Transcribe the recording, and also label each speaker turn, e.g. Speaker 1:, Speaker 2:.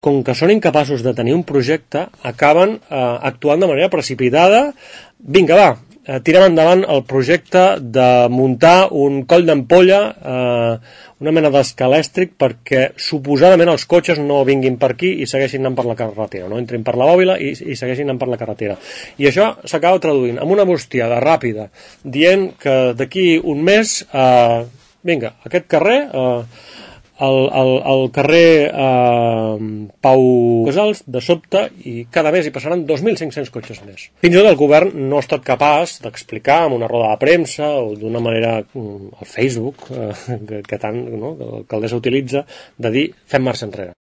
Speaker 1: com que són incapaços de tenir un projecte, acaben actuant de manera precipitada. Vinga, va, tirem endavant el projecte de muntar un coll d'ampolla, una mena d'escalèstric, perquè suposadament els cotxes no vinguin per aquí i segueixin anant per la carretera, no entrin per la bòbila i segueixin anant per la carretera. I això s'acaba traduint en una bustiada ràpida, dient que d'aquí un mes, vinga, aquest carrer... el carrer Pau Casals, de sobte, i cada mes hi passaran 2.500 cotxes més. Fins i tot el govern no ha estat capaç d'explicar en una roda de premsa o d'una manera al Facebook, que tant l'alcaldessa utilitza, de dir fem marxa enrere.